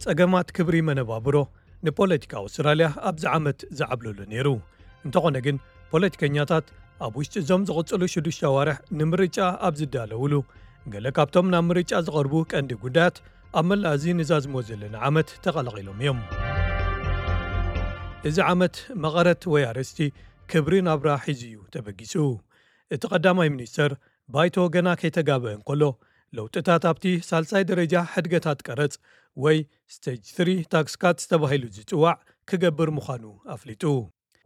ጸገማት ክብሪ መነባብሮ ንፖለቲካ ኣውስትራልያ ኣብዚ ዓመት ዝዓብለሉ ነይሩ። እንተኾነ ግን፣ ፖለቲከኛታት ኣብ ውሽጢ እዞም ዝቕጽሉ ሽዱሽተ ኣዋርሕ ንምርጫ ኣብ ዝዳለውሉ፣ ገለ ካብቶም ናብ ምርጫ ዝቐርቡ ቀንዲ ጉዳያት ኣብ መላእ እዚ ንዛዝሞ ዘለና ዓመት ተቐላቒሎም እዮም። እዚ ዓመት መቐረት ወይ ኣርእስቲ ክብሪ ናብራ ሒዙ እዩ ተበጊሱ። እቲ ቀዳማይ ሚኒስተር፣ ባይቶ ገና ከይተጋብአ እንከሎ፣ ለውጥታት ኣብቲ ሳልሳይ ደረጃ ሕድገታት ቀረጽ ወይ ስቴጅ ስሪ ታክስ ካትስ ተባሂሉ ዝጽዋዕ ክገብር ምዃኑ ኣፍሊጡ።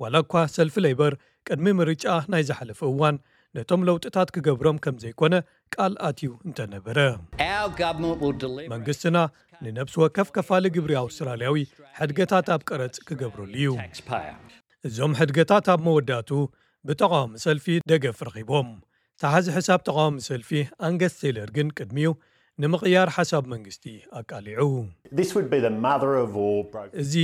ዋላ እኳ ሰልፊ ሌበር ቅድሚ ምርጫ ናይ ዝሓለፈ እዋን ነቶም ለውጥታት ክገብሮም ከም ዘይኮነ ቃል ኣትዩ እንተነበረ፣ Our government will deliver መንግስትና ንነብሲ ወከፍ ከፋሊ ግብሪ ኣውስትራልያዊ ሕድገታት ኣብ ቀረጽ ክገብረሉ እዩ። Taxpayer. እዞም ሕድገታት ኣብ መወዳእቱ ብተቓዋሚ ሰልፊ ደገፍ ረኺቦም። ተሓዚ ሕሳብ ተቓዋሚ ሰልፊ ኣንገስ ቴይለር ግን ቅድሚኡ ንምቕያር ሓሳብ መንግስቲ ኣቃሊዑ። This would be the mother of all broken እዚ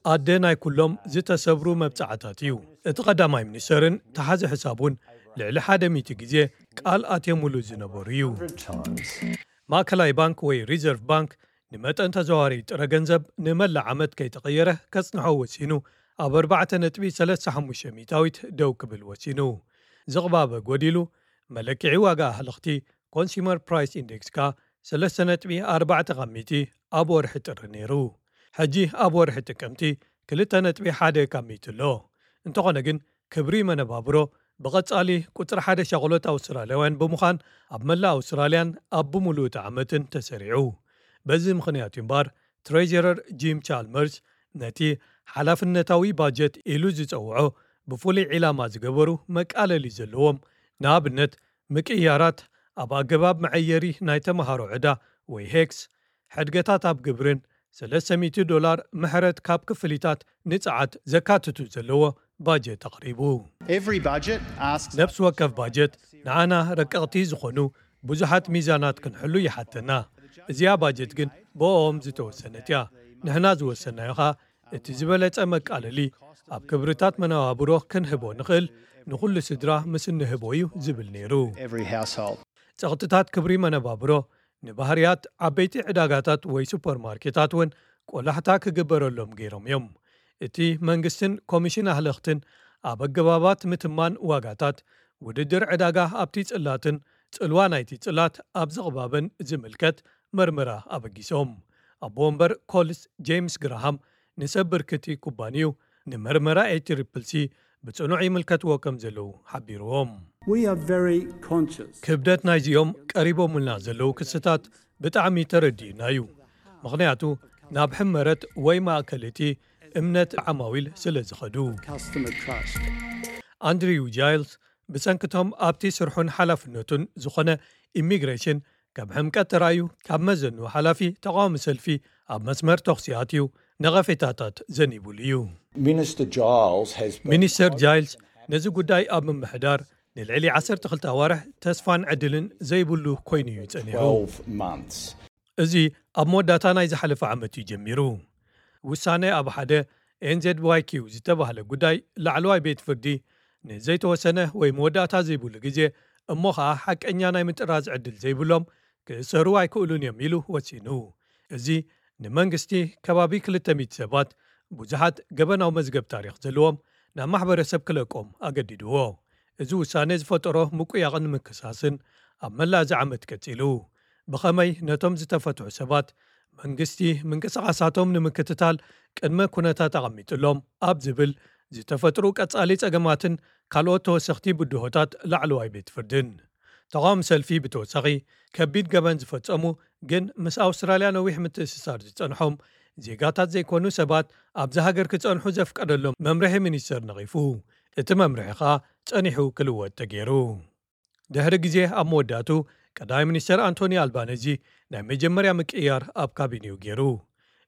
ኣደ ናይ ኩሎም ዝተሰብሩ መብጻዕታት እዩ። እቲ ቀዳማይ ሚኒስተርን ተሓዚ ሕሳብ እውን ልዕሊ ሓደ ሚእቲ ግዜ ቃል ኣትዮምሉ ዝነበሩ እዩ። Times. ማእከላይ ባንክ ወይ ሪዘርቭ ባንክ ንመጠን ተዘዋዋሪ ጥረ ገንዘብ ንመላእ ዓመት ከይተቐየረ ከጽንሖ ወሲኑ፣ ኣብ ኣርባዕተ ነጥቢ ሰለስተ ሓሙሽተ ሚእታዊት ደው ክብል ወሲኑ። ዝቕባበ ጎዲሉ፣ መለክዒ ዋጋ ኣህለኽቲ ኮንሱመር ፕራይስ ኢንዴክስ ከኣ ሰለስተ ነጥቢ ኣርባዕተ ካብ ሚእቲ ኣብ ወርሒ ጥሪ ነይሩ። ሕጂ ኣብ ወርሒ ጥቅምቲ ክልተ ነጥቢ ሓደ ካብ ሚእቲ ኣሎ። እንተኾነ ግን፣ ክብሪ መነባብሮ ብቐጻሊ ቁጽሪ ሓደ ሻቕሎት ኣውስትራልያውያን ብምዃን፣ ኣብ መላእ ኣውስትራልያን ኣብ ብምሉእ እቲ ዓመትን ተሰሪዑ። በዚ ምኽንያት እዩ እምበኣር፣ ትሬጀረር ጂም ቻልመርስ ነቲ ሓላፍነታዊ ባጀት ኢሉ ዝጸውዖ ብፍሉይ ዒላማ ዝገበሩ መቃለሊ ዘለዎም፣ ንኣብነት፣ ምቅይያራት ኣብ ኣገባብ መዐየሪ ናይ ተመሃሮ ዕዳ ወይ ሄክስ፣ ሕድገታት ኣብ ግብርን ሰለስተ ሚእቲ ዶላር ምሕረት ካብ ክፍሊታት ንጽዓት ዘካትቱ ዘለዎ ባጀት ኣቕሪቡ። Every budget asks ነብሲ ወከፍ ባጀት ንዓና ረቀቕቲ ዝኾኑ ብዙሓት ሚዛናት ክንሕሉ ይሓተና። እዚኣ ባጀት ግን ብኦም ዝተወሰነት እያ። ንሕና ዝወሰናዮ ኸኣ እቲ ዝበለጸ መቃለሊ ኣብ ክብርታት መነባብሮ ክንህቦ ንኽእል፣ ንኹሉ ስድራ ምስ እንህቦ እዩ ዝብል ነይሩ። Every household. ጸቕጥታት ክብሪ መነባብሮ ንባህርያት ዓበይቲ ዕዳጋታት ወይ ሱፐርማርኬታት እውን ቆላሕታ ክግበረሎም ገይሮም እዮም። እቲ መንግስትን ኮሚሽን ኣህለኽትን ኣብ ኣገባባት ምትማን ዋጋታት፣ ውድድር ዕዳጋ ኣብቲ ጽላትን ጽልዋ ናይቲ ጽላት ኣብ ዝቕባበን ዝምልከት መርመራ ኣበጊሶም። ኣቦ ወንበር ኮልስ ጄምስ ግራሃም ንሰብ ብርክቲ ኩባንዩ ንመርመራ ኤ ትሪፕል ሲ ብጽኑዕ ይምልከትዎ ከም ዘለዉ ሓቢርዎም። We are very conscious. ክብደት ናይዚኦም ቀሪቦምልና ዘለዉ ክስታት ብጣዕሚ ተረዲኡና እዩ። ምኽንያቱ ናብ ሕመረት ወይ ማእከል እቲ እምነት ዓማዊል ስለ ዝኸዱ። Customer trust. ኣንድሪው ጃይልስ ብሰንክቶም ኣብቲ ስርሑን ሓላፍነቱን ዝኾነ ኢሚግሬሽን ከም ሕምቀት ተራእዩ፣ ካብ መዘኑ ሓላፊ ተቓዋሚ ሰልፊ ኣብ መስመር ተኹሲ ኣትዩ ነቐፌታታት ዘኒቡሉ እዩ። Minister Giles has been ሚኒስተር ጃይልስ ነዚ ጉዳይ ኣብ ምምሕዳር ንልዕሊ ዓሰርተ ክልተ ኣዋርሕ ተስፋን ዕድልን ዘይብሉ ኮይኑ እዩ ጸኒሑ። Twelve months. እዚ ኣብ መወዳእታ ናይ ዝሓለፈ ዓመት እዩ ጀሚሩ። ውሳነ ኣብ ሓደ ኤን ዜድ ዋይ ኪው ዝተባህለ ጉዳይ ላዕለዋይ ቤት ፍርዲ ንዘይተወሰነ ወይ መወዳእታ ዘይብሉ ግዜ፣ እሞ ኸኣ ሓቀኛ ናይ ምጥራዝ ዕድል ዘይብሎም ክእሰሩ ኣይክእሉን እዮም ኢሉ ወሲኑ። እዚ ንመንግስቲ ከባቢ ክልተ ሚእቲ ሰባት፣ ብዙሓት ገበናዊ መዝገብ ታሪኽ ዘለዎም፣ ናብ ማሕበረሰብ ክለቆም ኣገዲድዎ። እዚ ውሳነ ዝፈጠሮ ምቁያቕን ምክሳስን ኣብ መላእ እዚ ዓመት ቀጺሉ። ብኸመይ ነቶም ዝተፈትሑ ሰባት መንግስቲ ምንቅስቓሳቶም ንምክትታል ቅድመ ኩነታት ኣቐሚጥሎም ኣብ ዝብል ዝተፈጥሩ ቀጻሊ ጸገማትን ካልኦት ተወሰኽቲ ብድሆታት ላዕለዋይ ቤት ፍርድን። ተቓውሞ ሰልፊ ብተወሳኺ ከቢድ ገበን ዝፈጸሙ ግን ምስ ኣውስትራልያ ነዊሕ ምትእስሳር ዝጸንሖም ዜጋታት ዘይኮኑ ሰባት ኣብዚ ሃገር ክጸንሑ ዘፍቀደሎም መምርሒ ሚኒስተር ነቒፉ። እቲ መምርሒ ኸኣ ጸኒሑ ክልወጥ ተገይሩ። ድሕሪ ግዜ ኣብ መወዳእቱ ቀዳማይ ሚኒስተር ኣንቶኒ ኣልባነዚ ናይ መጀመርያ ምቅይያር ኣብ ካቢኔኡ ገይሩ።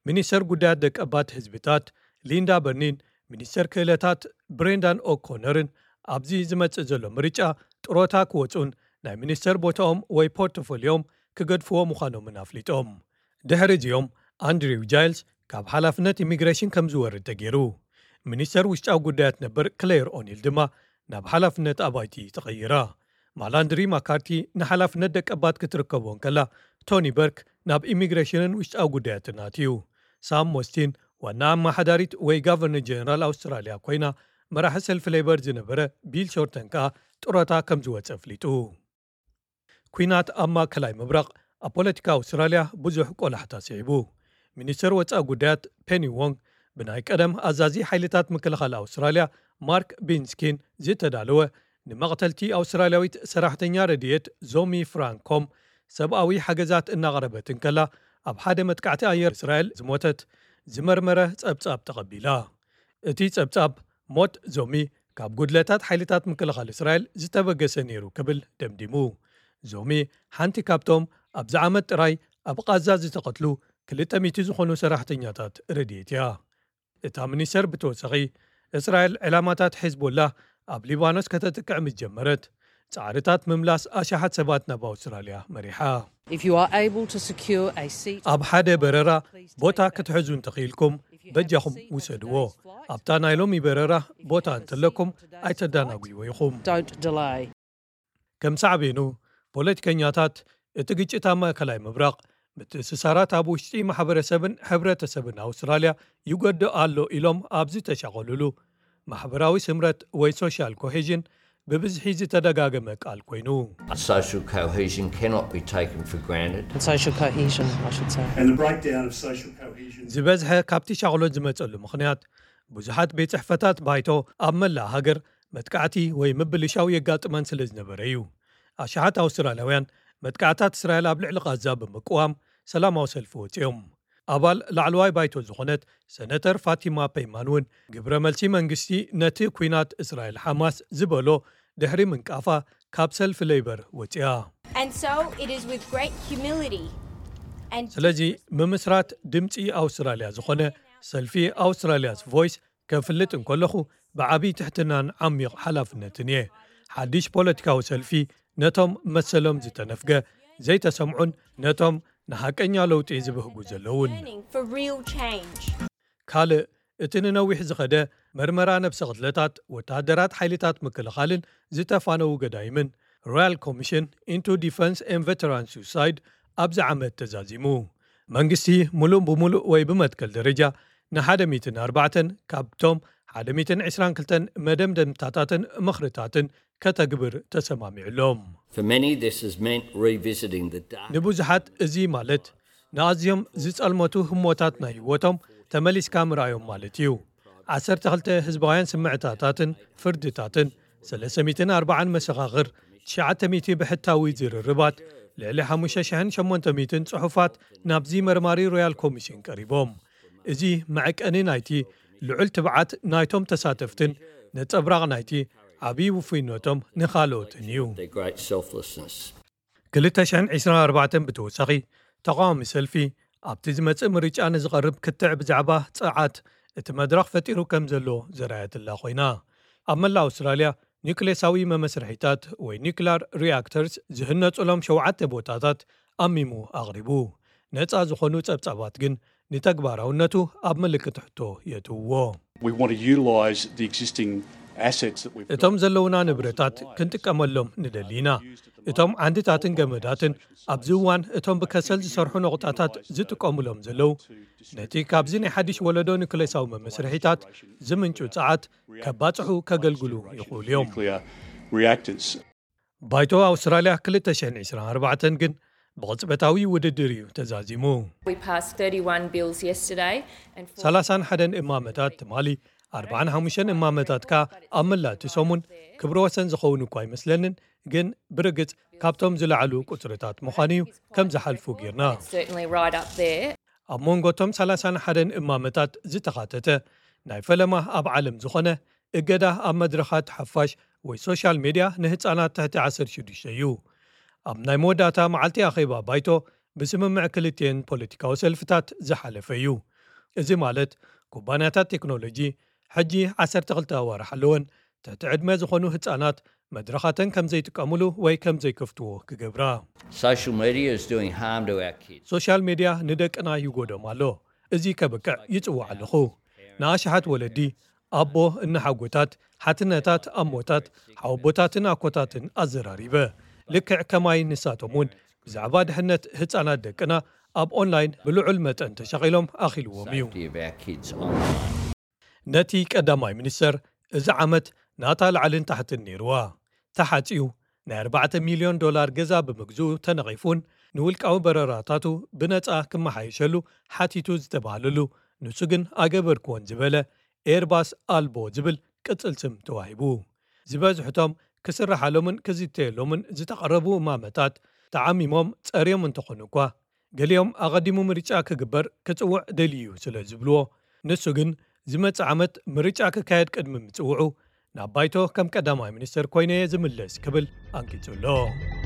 ሚኒስተር ጉዳያት ደቀባት ህዝብታት ሊንዳ በርኒን ሚኒስተር ክእለታት ብሬንዳን ኦኮነርን ኣብዚ ዝመጽእ ዘሎ ምርጫ ጥሮታ ክወጹን ናይ ሚኒስተር ቦታኦም ወይ ፖርቶፎሊዮም ክገድፍዎ ምዃኖምን ኣፍሊጦም። ድሕሪ እዚኦም ኣንድሪው ጃይልስ ካብ ሓላፍነት ኢሚግሬሽን ከም ዝወርድ ተገይሩ። ሚኒስተር ውሽጣዊ ጉዳያት ነበር ክሌር ኦኒል ድማ ናብ ሓላፍነት ኣባይቲ ተቐይራ። ማላንድሪ ማካርቲ ንሓላፍነት ደቀባት ክትርከቦ እንከላ፣ ቶኒ በርክ ናብ ኢሚግሬሽንን ውሽጣዊ ጉዳያትን ኣትዩ። ሳም ሞስቲን ዋና ኣመሓዳሪት ወይ ጋቨርነር ጀነራል ኣውስትራልያ ኮይና፣ መራሒ ሰልፊ ሌበር ዝነበረ ቢል ሾርተን ከኣ ጡረታ ከም ዝወጸ ኣፍሊጡ። ኲናት ኣብ ማእከላይ ምብራቕ ኣብ ፖለቲካ ኣውስትራልያ ብዙሕ ቆላሕታ ስዒቡ። ሚኒስተር ወጻኢ ጉዳያት ፔኒ ዎንግ ብናይ ቀደም ኣዛዚ ሓይልታት ምክልኻል ኣውስትራልያ ማርክ ቢንስኪን ዝተዳለወ፣ ንመቕተልቲ ኣውስትራልያዊት ሰራሕተኛ ረድኤት ዞሚ ፍራንኮም ሰብኣዊ ሓገዛት እናቕረበት እንከላ ኣብ ሓደ መጥቃዕቲ ኣየር እስራኤል ዝሞተት ዝመርመረ ጸብጻብ ተቐቢላ። እቲ ጸብጻብ ሞት ዞሚ ካብ ጉድለታት ሓይልታት ምክልኻል እስራኤል ዝተበገሰ ነይሩ ክብል ደምዲሙ። ዞሚ ሓንቲ ካብቶም ኣብዚ ዓመት ጥራይ ኣብ ቓዛ ዝተቐትሉ ክልተ ሚእቲ ዝኾኑ ሰራሕተኛታት ረድኤት እያ። እታ ሚኒስተር ብተወሳኺ፣ እስራኤል ዕላማታት ሒዝቦላ ኣብ ሊባኖስ ከተጥቅዕ ምስ ጀመረት፣ ጻዕርታት ምምላስ ኣሽሓት ሰባት ናብ ኣውስትራልያ መሪሓ። If you are able to secure a seat, ኣብ ሓደ በረራ ቦታ ክትሕዙ እንተኽኢልኩም በጃኹም ውሰድዎ። ኣብታ ናይ ሎሚ በረራ ቦታ እንተለኩም ኣይተዳናጉይዎ ኢኹም። Don't delay. ከም ሳዕቤኑ፣ ፖለቲከኛታት እቲ ግጭት ኣብ ማእከላይ ምብራቕ ምትእስሳራት ኣብ ውሽጢ ማሕበረሰብን ሕብረተሰብን ኣውስትራልያ ይጎድእ ኣሎ ኢሎም ኣብ ዝተሻቐሉሉ፣ ማሕበራዊ ስምረት ወይ ሶሻል ኮሄዥን ብብዝሒ ዝተደጋገመ ቃል ኮይኑ። Social cohesion cannot be taken for granted. And social cohesion, I should say. And the breakdown of social cohesion. ዝበዝሐ ካብቲ ሻቕሎት ዝመጸሉ ምኽንያት፣ ብዙሓት ቤት ጽሕፈታት ባይቶ ኣብ መላእ ሃገር መጥቃዕቲ ወይ ምብልሻው የጋጥመን ስለ ዝነበረ እዩ። ኣሽሓት ኣውስትራልያውያን መጥቃዕታት እስራኤል ኣብ ልዕሊ ቓዛ ብምቅዋም ሰላማዊ ሰልፊ ወጺኦም። ኣባል ላዕለዋይ ባይቶ ዝኾነት ሰነተር ፋቲማ ፔይማን እውን፣ ግብረ መልሲ መንግስቲ ነቲ ኲናት እስራኤል ሓማስ ዝበሎ ድሕሪ ምንቃፋ፣ ካብ ሰልፊ ሌበር ወጺኣ። And so it is with great humility and ስለዚ፣ ምምስራት ድምጺ ኣውስትራልያ ዝኾነ ሰልፊ ኣውስትራልያስ ቮይስ ከፍልጥ እንከለኹ፣ ብዓቢ ትሕትናን ዓሚቕ ሓላፍነትን እየ። ሓድሽ ፖለቲካዊ ሰልፊ ነቶም መሰሎም ዝተነፍገ፣ ዘይተሰምዑን ነቶም ንሓቀኛ ለውጢ ዝብህጉ ዘለውን። Planning for real change. ካልእ፣ እቲ ንነዊሕ ዝኸደ መርመራ ነብሰ ቅትለታት ወተሃደራት ሓይልታት ምክልኻልን ዝተፋነዉ ገዳይምን፣ ሮያል ኮሚሽን ኢንቱ ዲፈንስ ኤን ቨተራን ሱሳይድ፣ ኣብዚ ዓመት ተዛዚሙ። መንግስቲ፣ ምሉእ ብምሉእ ወይ ብመትከል ደረጃ፣ ንሓደ ሚእትን ኣርባዕተን ካብቶም ሓደ ሚእትን ዕስራን ክልተን መደምደምታታትን ምኽርታትን ከተግብር ተሰማሚዑሎም። For many, this has meant revisiting the dark. ንብዙሓት፣ እዚ ማለት ንኣዝዮም ዝጸልመቱ ህሞታት ናይ ህይወቶም ተመሊስካ ምርኣዮም ማለት እዩ። ዓሰርተ ክልተ ህዝባውያን ስምዕታታትን ፍርድታትን፣ ሰለስተ ሚእትን ኣርባዓን መሰኻኽር፣ ትሽዓተ ሚእቲ ብሕታዊ ዝርርባት፣ ልዕሊ ሓሙሽተ ሽሕን ሸሞንተ ሚእትን ጽሑፋት ናብዚ መርማሪ ሮያል ኮሚሽን ቀሪቦም። እዚ መዐቀኒ ናይቲ ልዑል ትብዓት ናይቶም ተሳተፍትን ነጸብራቕ ናይቲ ዓብዪ ውፉይነቶም ንኻልኦትን እዩ። Their great selflessness. ክልተ ሽሕን ዕስራን ኣርባዕተን ብተወሳኺ፣ ተቓዋሚ ሰልፊ ኣብቲ ዝመጽእ ምርጫ ንዝቐርብ ክትዕ ብዛዕባ ጸዓት እቲ መድረኽ ፈጢሩ ከም ዘሎ ዘርኣየትላ ኮይና፣ ኣብ መላእ ኣውስትራልያ ኒውክሌሳዊ መመስርሒታት ወይ ኒውክላር ሪያክተርስ ዝህነጹሎም ሸውዓተ ቦታታት ኣሚሙ ኣቕሪቡ። ነጻ ዝኾኑ ጸብጻባት ግን ንተግባራውነቱ ኣብ ምልክት ሕቶ የእትውዎ። We want to utilise the existing assets that we've got. እቶም ዘለውና ንብረታት ክንጥቀመሎም ንደሊ ኢና። እቶም ዓንድታትን ገመዳትን ኣብዚ እዋን እቶም ብከሰል ዝሰርሑ ነቑጣታት ዝጥቀሙሎም ዘለዉ፣ ነቲ ካብዚ ናይ ሓድሽ ወለዶ ኒውክሌሳዊ መመስርሒታት ዝምንጩ ጸዓት ከባጽሑ ከገልግሉ ይኽእሉ እዮም። Nuclear reactors. ባይቶ ኣውስትራልያ ክልተ ሽሕን ዕስራን ኣርባዕተን ግን ብቕጽበታዊ ውድድር እዩ ተዛዚሙ። We passed thirty-one bills yesterday and ሰላሳን ሓደን እማመታት ትማሊ፣ ኣርባዓን ሓሙሽተን እማመታት ከኣ ኣብ መላእ እቲ ሰሙን። ክብረ ወሰን ዝኸውን እኳ ኣይመስለንን፣ ግን ብርግጽ ካብቶም ዝለዓሉ ቁጽርታት ምዃኑ እዩ ከም ዝሓልፉ ጌርና። certainly right up there. ኣብ መንጎ እቶም ሰላሳን ሓደን እማመታት ዝተኻተተ ናይ ፈለማ ኣብ ዓለም ዝኾነ እገዳ ኣብ መድረኻት ሓፋሽ ወይ ሶሻል ሜድያ ንህጻናት ትሕቲ ዓሰርተ ሽዱሽተ እዩ። ኣብ ናይ መወዳእታ መዓልቲ ኣኼባ ባይቶ ብስምምዕ ክልቲኤን ፖለቲካዊ ሰልፍታት ዝሓለፈ እዩ። እዚ ማለት ኩባንያታት ቴክኖሎጂ ሕጂ ዓሰርተ ክልተ ኣዋርሕ ኣለወን ትሕቲ ዕድመ ዝኾኑ ህጻናት መድረኻተን ከም ዘይጥቀሙሉ ወይ ከም ዘይከፍትዎ ክገብራ። Social media is doing harm to our kids. ሶሻል ሜድያ ንደቅና ይጎዶም ኣሎ። እዚ ከብቅዕ ይጽውዕ ኣለኹ። ንኣሽሓት ወለዲ፣ ኣቦ፣ እናሓጎታት፣ ሓትነታት፣ ኣሞታት፣ ሓወቦታትን ኣኮታትን ኣዘራሪበ። ልክዕ ከማይ ንሳቶም እውን ብዛዕባ ድሕነት ህጻናት ደቅና ኣብ ኦንላይን ብልዑል መጠን ተሻቒሎም ኣኺልዎም እዩ። ነቲ ቀዳማይ ሚኒስተር፣ እዚ ዓመት ናታ ላዕልን ታሕትን ነይርዋ። ተሓጺኡ፣ ናይ ኣርባዕተ ሚልዮን ዶላር ገዛ ብምግዝኡ ተነቒፉን ንውልቃዊ በረራታቱ ብነጻ ክመሓየሸሉ ሓቲቱ ዝተባህለሉ፣ ንሱ ግን ኣገበርክዎን ዝበለ ኤርባስ ኣልቦ ዝብል ቅጽል ስም ተዋሂቡ። ዝበዝሕቶም ክስርሓሎምን ክዝተየሎምን ዝተቐረቡ እማመታት ተዓሚሞም ጸርዮም እንተኾኑ እኳ፣ ገሊኦም ኣቐዲሙ ምርጫ ክግበር ክጽውዕ ደልዩ ስለ ዝብልዎ፣ ንሱ ግን ዝመጽእ ዓመት ምርጫ ክካየድ ቅድሚ ምጽውዑ ናብ ባይቶ ከም ቀዳማይ ሚኒስተር ኮይነየ ዝምለስ ክብል ኣንቂጹ ኣሎ።